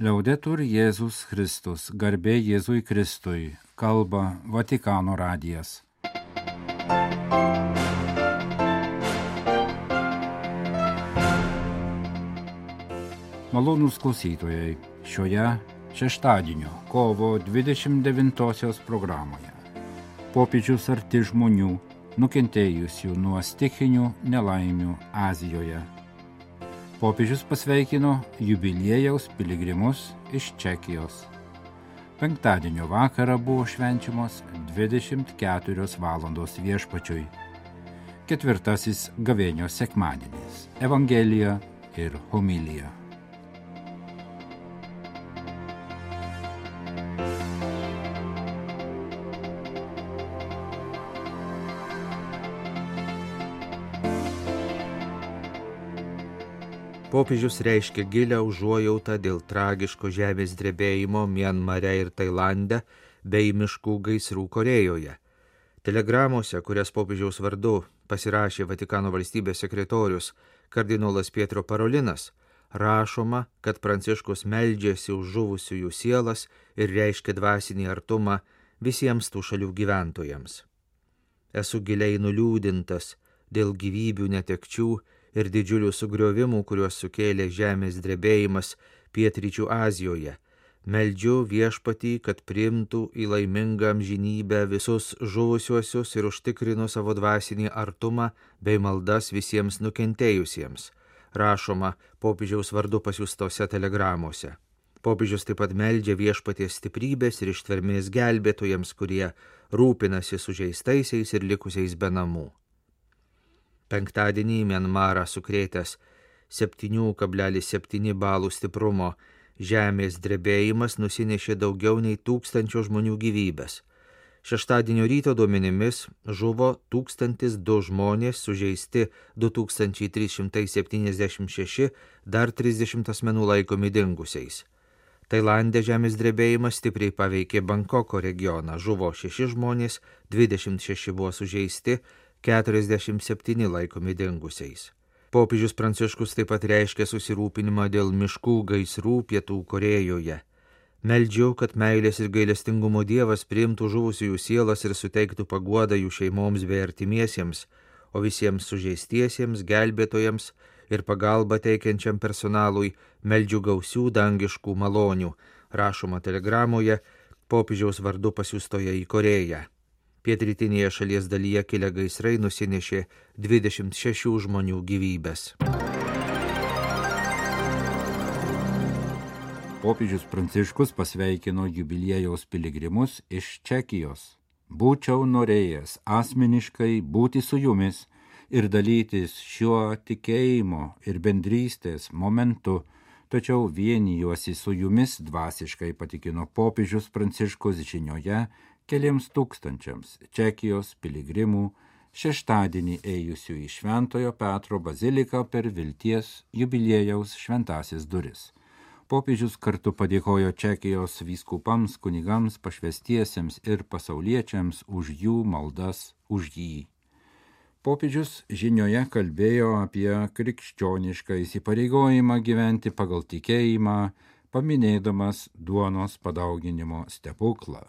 Liaudetur Jėzus Kristus, garbė Jėzui Kristui, kalba Vatikano radijas. Malonūs klausytojai, šioje šeštadienio kovo 29 programoje popiežius arti žmonių, nukentėjusių nuo stichinių nelaimių Azijoje. Popiežius pasveikino jubiliejaus piligrimus iš Čekijos. Penktadienio vakarą buvo švenčiamos 24 valandos Viešpačiui. Ketvirtasis gavėnios sekmadienis – Evangelija ir homilija. Popiežius reiškia gilią užuojautą dėl tragiško žemės drebėjimo Mianmare ir Tailande bei miškų gaisrų Korėjoje. Telegramose, kurias popiežiaus vardu pasirašė Vatikano valstybės sekretorius kardinolas Pietro Parolinas, rašoma, kad Pranciškus meldžiasi už žuvusiųjų sielas ir reiškia dvasinį artumą visiems tų šalių gyventojams. Esu giliai nuliūdintas dėl gyvybių netekčių ir didžiulių sugriovimų, kuriuos sukėlė žemės drebėjimas pietryčių Azijoje. Meldžiu Viešpatį, kad priimtų į laimingą amžinybę visus žuvusiuosius ir užtikrino savo dvasinį artumą bei maldas visiems nukentėjusiems, rašoma popiežiaus vardu pasiųstose telegramose. Popiežius taip pat meldžia Viešpaties stiprybės ir ištvermės gelbėtojams, kurie rūpinasi sužeistaisiais ir likusiais be namų. Penktadienį Mianmarą sukrėtęs 7,7 balų stiprumo žemės drebėjimas nusinešė daugiau nei 1000 žmonių gyvybes. Šeštadienio ryto duomenimis žuvo 1002 žmonės, sužeisti 2376, dar 30 asmenų laikomi dingusiais. Tailande žemės drebėjimas stipriai paveikė Bankoko regioną, žuvo 6 žmonės, 26 buvo sužeisti, 47 laikomi dingusiais. Popiežius Pranciškus taip pat reiškia susirūpinimą dėl miškų gaisrų Pietų Korėjoje. Meldžiu, kad meilės ir gailestingumo Dievas priimtų žuvusiųjų sielas ir suteiktų paguodą jų šeimoms bei artimiesiems, o visiems sužeistiesiems, gelbėtojams ir pagalbą teikiančiam personalui meldžiu gausių dangiškų malonių, rašoma telegramoje popiežiaus vardu pasiųstoje į Korėją. Pietrytinėje šalies dalyje kilę gaisrai nusinešė 26 žmonių gyvybes. Popiežius Pranciškus pasveikino jubiliejaus piligrimus iš Čekijos. Būčiau norėjęs asmeniškai būti su jumis ir dalytis šiuo tikėjimo ir bendrystės momentu, tačiau vienijuosi su jumis dvasiškai, patikino popiežius Pranciškus žinioje keliems tūkstančiams Čekijos piligrimų šeštadienį ėjusių į Šventojo Petro baziliką per Vilties jubiliejaus šventąsias duris. Popiežius kartu padėkojo Čekijos vyskupams, kunigams, pašvęstiesiems ir pasauliečiams už jų maldas už jį. Popiežius žinioje kalbėjo apie krikščionišką įsipareigojimą gyventi pagal tikėjimą, paminėdamas duonos padauginimo stebuklą.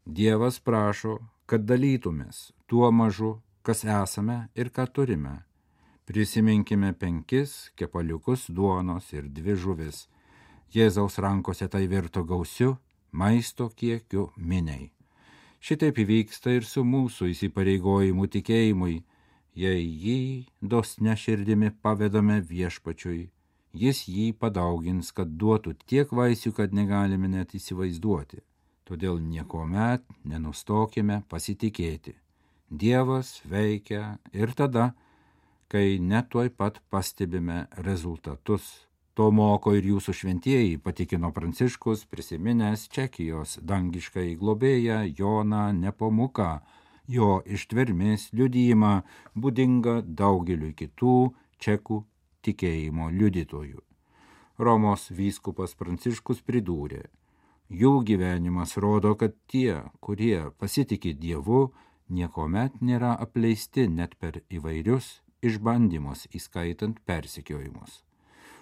Dievas prašo, kad dalytumės tuo mažu, kas esame ir ką turime. Prisiminkime 5 kepaliukus duonos ir 2 žuvis. Jėzaus rankose tai virto gausiu maisto kiekiu miniai. Šitaip įvyksta ir su mūsų įsipareigojimu tikėjimui, jei jį dosnia širdimi pavedame Viešpačiui. Jis jį padaugins, kad duotų tiek vaisių, kad negalime net įsivaizduoti. Todėl niekuomet nenustokime pasitikėti. Dievas veikia ir tada, kai net tuoj pat pastebime rezultatus. To moko ir jūsų šventieji, patikino Pranciškus, prisiminęs Čekijos dangiškai globėją Joną Nepomuką, jo ištvermės liudijimą būdingą daugeliu kitų čekų tikėjimo liudytojų. Romos vyskupas Pranciškus pridūrė: jų gyvenimas rodo, kad tie, kurie pasitiki Dievu, niekuomet nėra apleisti net per įvairius išbandymus, įskaitant persekiojimus.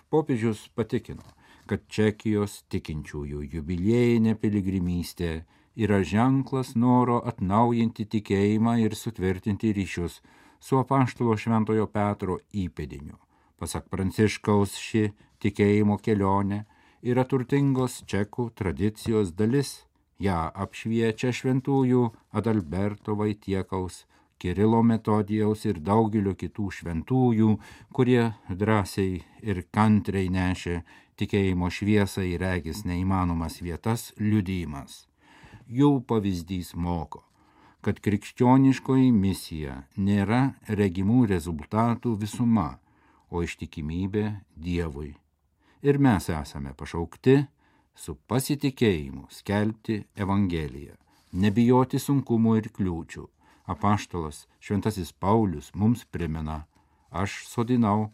Popiežius patikino, kad Čekijos tikinčiųjų jubiliejinė piligrimystė yra ženklas noro atnaujinti tikėjimą ir sutvirtinti ryšius su apaštalo Šventojo Petro įpėdiniu. Pasak Pranciškaus, ši tikėjimo kelionė yra turtingos čekų tradicijos dalis. Ja apšviečia šventųjų Adalberto Vaitiekaus, Kirilo Metodijaus ir daugelio kitų šventųjų, kurie drąsiai ir kantriai nešė tikėjimo šviesą į regis neįmanomas vietas liudijimas. Jų pavyzdys moko, kad krikščioniškoji misija nėra regimų rezultatų visuma, o ištikimybė Dievui. Ir mes esame pašaukti su pasitikėjimu skelbti Evangeliją, nebijoti sunkumų ir kliūčių. Apaštalas Šventasis Paulius mums primena: aš sodinau,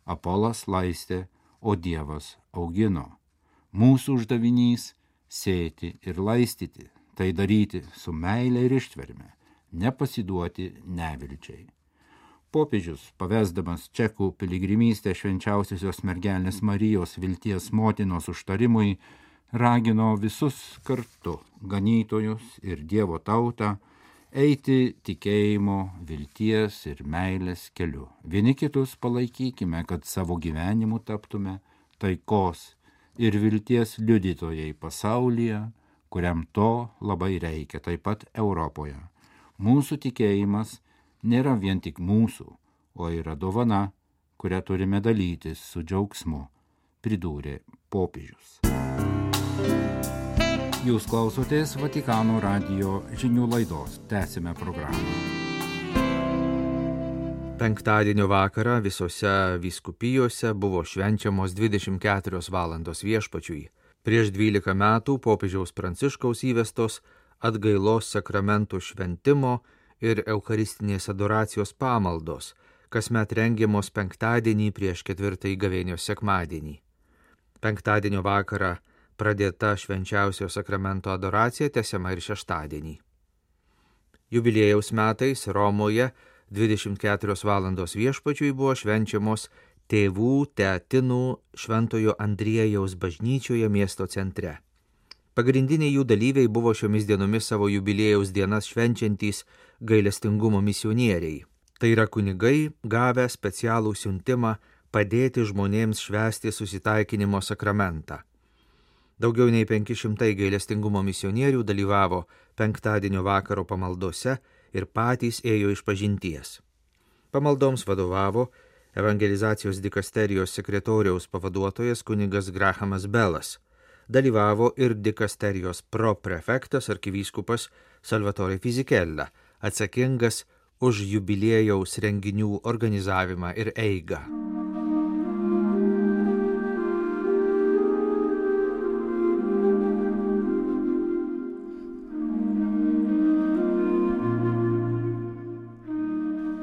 Apolas laistė, o Dievas augino. Mūsų uždavinys sėti ir laistyti, tai daryti su meile ir ištverme, nepasiduoti nevilčiai. Popiežius, pavesdamas čekų piligrimystę švenčiausiosios mergelės Marijos vilties motinos užtarimui, ragino visus kartu, ganytojus ir Dievo tautą, eiti tikėjimo, vilties ir meilės keliu. Vieni kitus palaikykime, kad savo gyvenimu taptume taikos ir vilties liudytojai pasaulyje, kuriam to labai reikia, taip pat Europoje. Mūsų tikėjimas nėra vien tik mūsų, o yra dovana, kurią turime dalytis su džiaugsmu, pridūrė popiežius. Jūs klausotės Vatikano radijo žinių laidos. Tęsime programą. Penktadienio vakarą visose vyskupijose buvo švenčiamos 24 valandos viešpačiui. Prieš 12 metų popiežiaus Pranciškaus įvestos atgailos sakramentų šventimo ir eucharistinės adoracijos pamaldos, kasmet rengiamos penktadienį prieš 4 gavėnios sekmadienį. Penktadienio vakarą pradėta švenčiausio sakramento adoracija tęsiama ir šeštadienį. Jubiliejaus metais Romoje 24 valandos viešpačiui buvo švenčiamos tėvų teatinų Šventojo Andriejaus bažnyčioje miesto centre. Pagrindiniai jų dalyviai buvo šiomis dienomis savo jubiliejaus dienas švenčiantys gailestingumo misionieriai. Tai yra kunigai, gavę specialų siuntimą padėti žmonėms švęsti susitaikinimo sakramentą. Daugiau nei 500 gailestingumo misionierių dalyvavo penktadienio vakaro pamaldose ir patys ėjo išpažinties. Pamaldoms vadovavo evangelizacijos dikasterijos sekretoriaus pavaduotojas kunigas Grahamas Belas. Dalyvavo ir dikasterijos proprefektas arkivyskupas Salvatore Fisichella, atsakingas už jubiliejaus renginių organizavimą ir eigą.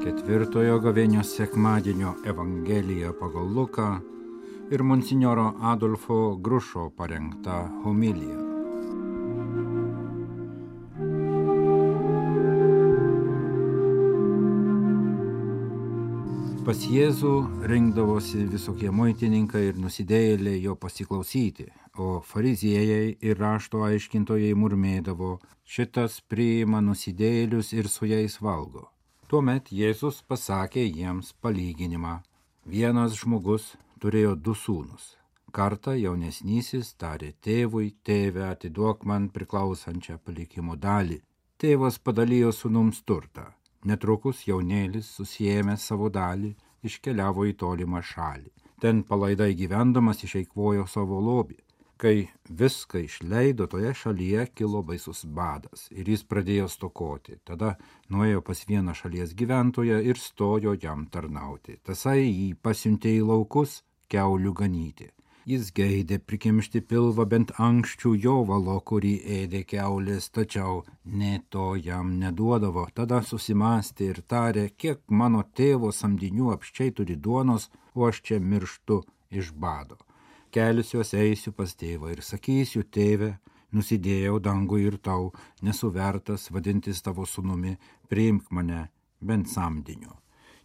Ketvirtojo gavėnios sekmadienio Evangelija pagal Luką ir monsinjoro Adolfo Grušo parengta homilija. Pas Jėzų rinkdavosi visokie muitininkai ir nusidėjėliai jo pasiklausyti, o fariziejai ir rašto aiškintojai murmėdavo: šitas priima nusidėjėlius ir su jais valgo. Tuomet Jėzus pasakė jiems palyginimą. Vienas žmogus turėjo 2 sūnus. Kartą jaunesnysis tarė tėvui: tėve, atiduok man priklausančią palikimo dalį. Tėvas padalijo sūnums turtą. Netrukus jaunėlis, susiėmęs savo dalį, iškeliavo į tolimą šalį. Ten palaidai gyvendamas išeikvojo savo lobį. Kai viską išleido, toje šalyje kilo baisus badas ir jis pradėjo stokoti. Tada nuėjo pas vieną šalies gyventoją ir stojo jam tarnauti. Tasai jį pasiuntė į laukus kiaulių ganyti. Jis geidė prikimšti pilvą bent ankščių jovalo, kurį ėdė kiaulės, tačiau nė to jam neduodavo. Tada susimąstė ir tarė: kiek mano tėvo samdinių apsčiai turi duonos, o aš čia mirštu iš bado. Kelsiuos, eisiu pas tėvą ir sakysiu: tėve, nusidėjau dangui ir tau, nesu vertas vadintis tavo sūnumi, priimk mane bent samdiniu.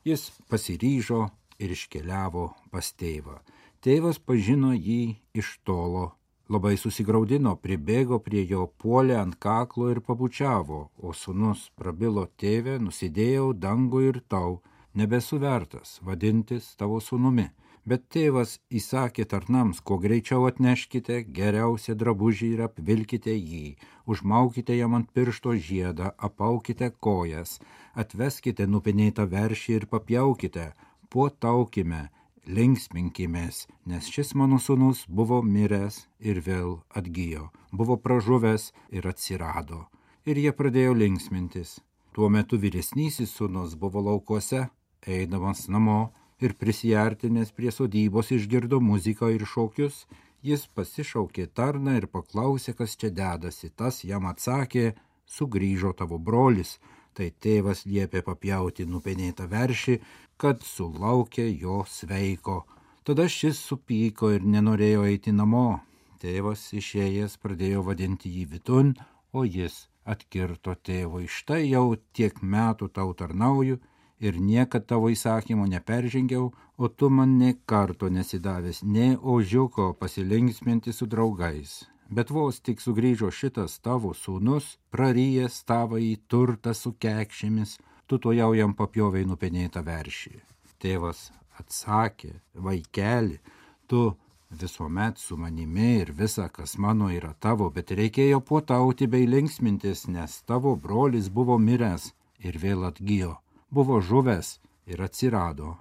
Jis pasiryžo ir iškeliavo pas tėvą. Tėvas pažino jį iš tolo. Labai susigraudino, pribėgo prie jo, puolė ant kaklo ir pabučiavo, o sūnus prabilo: tėve, nusidėjau dangų ir tau, nebesu vertas vadintis tavo sūnumi. Bet tėvas įsakė tarnams: kuo greičiau atneškite geriausią drabužį ir apvilkite jį, užmaukite jam ant piršto žiedą, apaukite kojas, atveskite nupenėtą veršį ir papjaukite, puotaukime, linksminkimės, nes šis mano sūnus buvo miręs ir vėl atgijo, buvo pražuvęs ir atsirado. Ir jie pradėjo linksmintis. Tuo metu vyresnysis sūnus buvo laukuose, eidamas namo, ir prisiartinęs prie sodybos išgirdo muziką ir šokius. Jis pasišaukė tarną ir paklausė, kas čia dedasi. Tas jam atsakė: sugrįžo tavo brolis. Tai tėvas liepė papjauti nupenėtą veršį, kad sulaukė jo sveiko. Tada šis supyko ir nenorėjo eiti namo. Tėvas išėjęs pradėjo vadinti jį vidun, o jis atkirto tėvui: štai jau tiek metų tau tarnauju ir niekad tavo įsakymo neperžengiau, o tu man nė karto nesidavęs, nė ožiuko pasilinksminti su draugais. Bet vos tik sugrįžo šitas tavo sūnus, prarijęs tavąjį turtą su kekšėmis, tu tuojau jam papjovei nupenėtą veršį. Tėvas atsakė: vaikeli, tu visuomet su manimi ir visa, kas mano, yra tavo, bet reikėjo puotauti bei linksmintis, nes tavo brolis buvo miręs ir vėl atgijo, buvo žuvęs ir atsirado.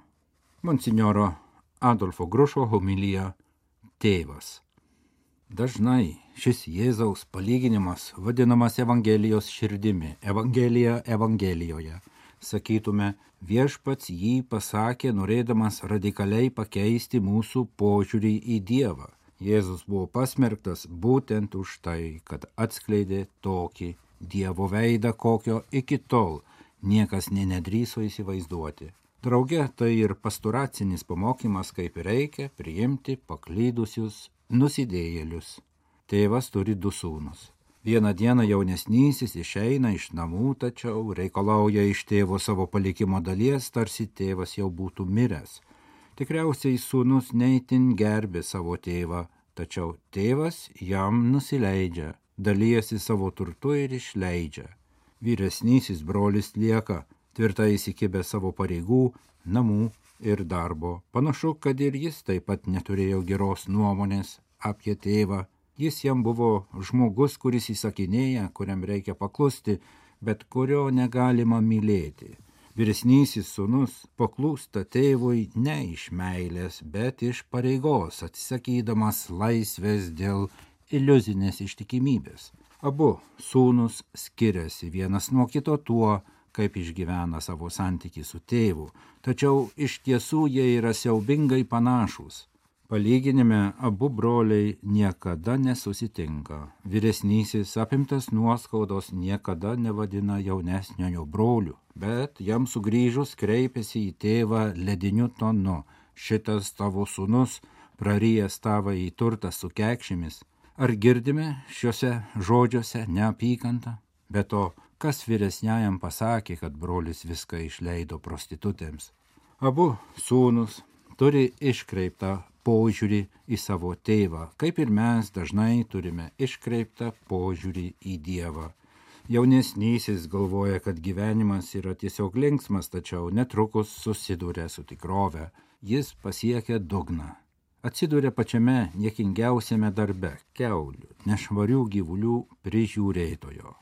Monsinjoro Adolfo Grušo homilija Tėvas. Dažnai šis Jėzaus palyginimas vadinamas Evangelijos širdimi, Evangelija Evangelijoje. Sakytume, viešpats jį pasakė, norėdamas radikaliai pakeisti mūsų požiūrį į Dievą. Jėzus buvo pasmerktas būtent už tai, kad atskleidė tokį Dievo veidą, kokio iki tol niekas nedrįso įsivaizduoti. Drauge tai ir pastoracinis pamokymas, kaip reikia priimti paklydusius nusidėjėlius. Tėvas turi du sūnus. Vieną dieną jaunesnysis išeina iš namų, tačiau reikalauja iš tėvo savo palikimo dalies, tarsi tėvas jau būtų miręs. Tikriausiai sūnus neįtin gerbė savo tėvą, tačiau tėvas jam nusileidžia, dalijasi savo turtu ir išleidžia. Vyresnysis brolis lieka tvirtai įsikibę savo pareigų, namų ir darbo. Panašu, kad ir jis taip pat neturėjo geros nuomonės apie tėvą. Jis jam buvo žmogus, kuris įsakinėja, kuriam reikia paklusti, bet kurio negalima mylėti. Vyresnysis sūnus paklūsta tėvui ne iš meilės, bet iš pareigos, atsisakydamas laisvės dėl iliuzinės ištikimybės. Abu sūnus skiriasi vienas nuo kito tuo, kaip išgyvena savo santykį su tėvu, tačiau iš tiesų jie yra siaubingai panašūs. Palyginime abu broliai niekada nesusitinka. Vyresnysis, apimtas nuoskaudos, niekada nevadina jaunesniojo broliu, bet jam sugrįžus kreipiasi į tėvą lediniu tonu: šitas tavo sūnus, prarijęs tavąjį turtą su kekšėmis. Ar girdime šiuose žodžiuose neapykantą? Be to, kas vyresniajam pasakė, kad brolis viską išleido prostitutėms? Abu sūnus turi iškreiptą požiūrį į savo tėvą, kaip ir mes dažnai turime iškreiptą požiūrį į Dievą. Jaunesnysis galvoja, kad gyvenimas yra tiesiog linksmas, tačiau netrukus susiduria su tikrove. Jis pasiekia dugną. Atsiduria pačiame niekingiausiame darbe – kiaulių, nešvarių gyvulių prižiūrėtojo.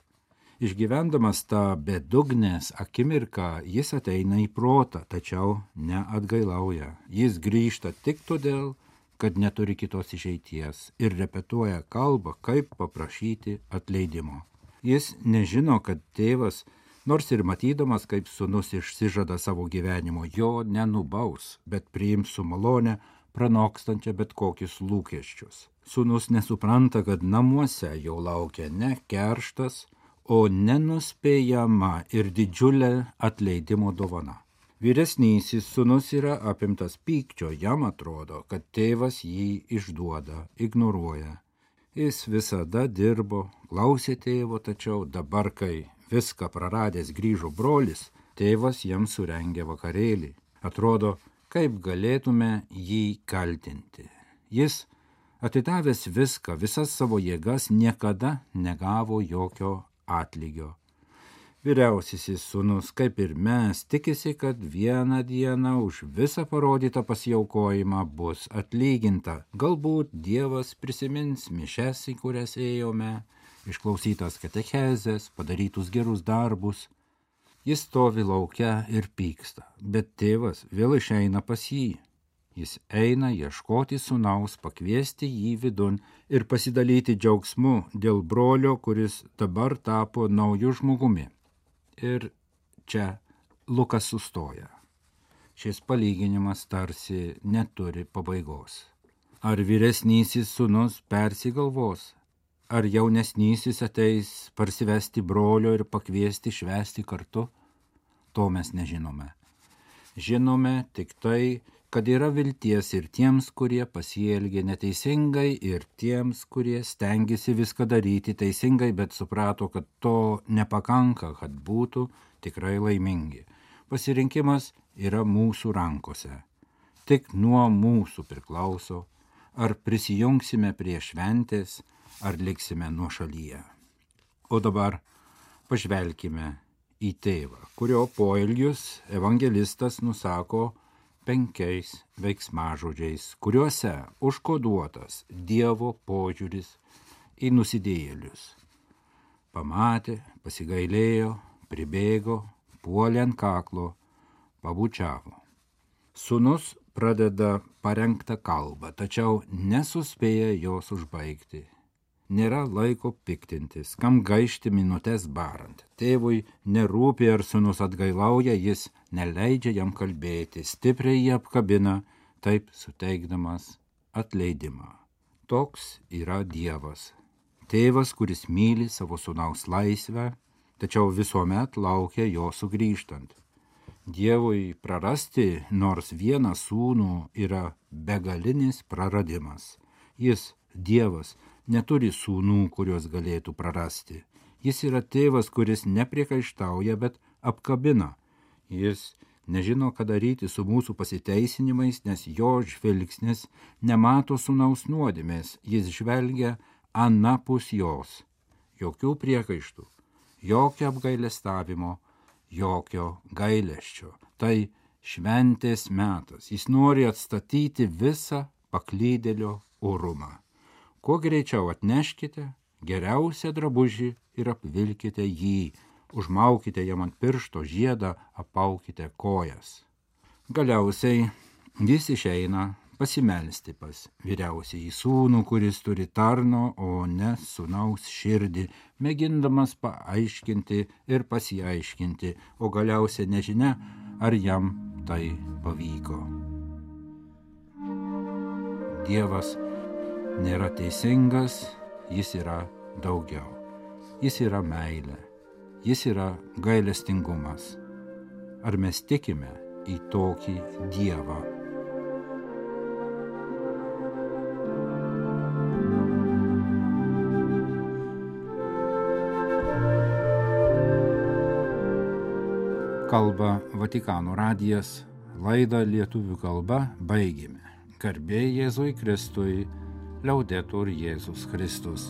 Išgyvendamas tą bedugnės akimirką, jis ateina į protą, tačiau neatgailauja. Jis grįžta tik todėl, kad neturi kitos išeities ir repetuoja kalbą, kaip paprašyti atleidimo. Jis nežino, kad tėvas, nors ir matydamas, kaip sūnus išsižada savo gyvenimo, jo nenubaus, bet priims su malone, pranokstančia bet kokius lūkesčius. Sūnus nesupranta, kad namuose jau laukia ne kerštas, o nenuspėjama ir didžiulė atleidimo dovana. Vyresnysis sūnus yra apimtas pykčio, jam atrodo, kad tėvas jį išduoda, ignoruoja. Jis visada dirbo, klausė tėvo, tačiau dabar, kai viską praradęs grįžo brolis, tėvas jam surengė vakarėlį. Atrodo, Kaip galėtume jį kaltinti? Jis, atidavęs viską, visas savo jėgas, niekada negavo jokio atlygio. Vyriausiasis sūnus, kaip ir mes, tikisi, kad vieną dieną už visą parodytą pasiaukojimą bus atlyginta. Galbūt Dievas prisimins mišes, į kurias ėjome, išklausytas katechezes, padarytus gerus darbus. Jis stovi laukia ir pyksta, bet tėvas vėl išeina pas jį. Jis eina ieškoti sūnaus, pakviesti jį vidun ir pasidalyti džiaugsmu dėl brolio, kuris dabar tapo nauju žmogumi. Ir čia Lukas sustoja. Šis palyginimas tarsi neturi pabaigos. Ar vyresnysis sūnus persigalvos? Ar jaunesnysis ateis parsivesti brolio ir pakviesti švęsti kartu? To mes nežinome. Žinome tik tai, kad yra vilties ir tiems, kurie pasielgė neteisingai, ir tiems, kurie stengiasi viską daryti teisingai, bet suprato, kad to nepakanka, kad būtų tikrai laimingi. Pasirinkimas yra mūsų rankose. Tik nuo mūsų priklauso, ar prisijungsime prie šventės, ar liksime nuošalyje. O dabar pažvelkime į tėvą, kurio poelgius evangelistas nusako 5 veiksmažodžiais, kuriuose užkoduotas Dievo požiūris į nusidėjėlius. Pamatė, pasigailėjo, pribėgo, puolė ant kaklo, pabučiavo. Sūnus pradeda parengtą kalbą, tačiau nesuspėja jos užbaigti. Nėra laiko piktintis, kam gaišti minutės barant. Tėvui nerūpi, ar sūnus atgailauja, jis neleidžia jam kalbėti, stipriai jį apkabina, taip suteikdamas atleidimą. Toks yra Dievas. Tėvas, kuris myli savo sūnaus laisvę, tačiau visuomet laukia jo sugrįžtant. Dievui prarasti nors vieną sūnų yra begalinis praradimas. Jis, Dievas, neturi sūnų, kuriuos galėtų prarasti. Jis yra tėvas, kuris nepriekaištauja, bet apkabina. Jis nežino, ką daryti su mūsų pasiteisinimais, nes jo žvilgsnis nemato sūnaus nuodėmės. Jis žvelgia anapus jos. Jokių priekaištų, jokio apgailestavimo, jokio gailesčio. Tai šventės metas. Jis nori atstatyti visą paklydėlio orumą. Kuo greičiau atneškite geriausią drabužį ir apvilkite jį, užmaukite jam ant piršto žiedą, apaukite kojas. Galiausiai jis išeina pasimelsti pas vyriausiąjį sūnų, kuris turi tarno, o ne sūnaus širdį, mėgindamas paaiškinti ir pasiaiškinti, o galiausiai nežinia, ar jam tai pavyko. Dievas nėra teisingas, jis yra daugiau. Jis yra meilė, jis yra gailestingumas. Ar mes tikime į tokį Dievą? Kalba Vatikano radijas, laidą lietuvių kalba baigėme. Garbė Jėzui Kristui, Liaudetur Jėzus Kristus.